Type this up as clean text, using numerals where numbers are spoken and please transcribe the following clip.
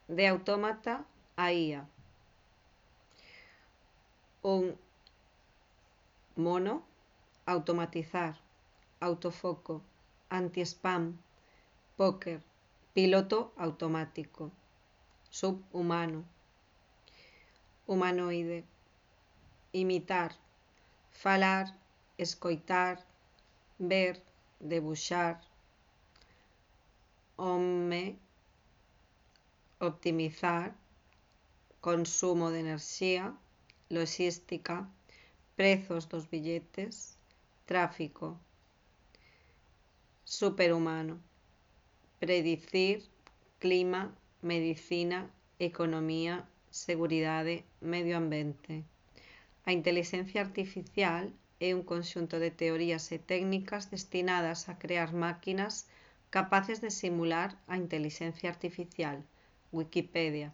de autómata a IA. Un mono, automatizar, autofoco, anti-spam, póker, piloto automático. Subhumano, humanoide, imitar, falar, escoitar, ver, debuxar. Home, optimizar, consumo de enerxía, logística, prezos dos billetes, tráfico. Superhumano, predicir, clima, medicina, economía, seguridade, medio ambiente. A intelixencia artificial é un conxunto de teorías e técnicas destinadas a crear máquinas capaces de simular a intelixencia artificial. Wikipedia.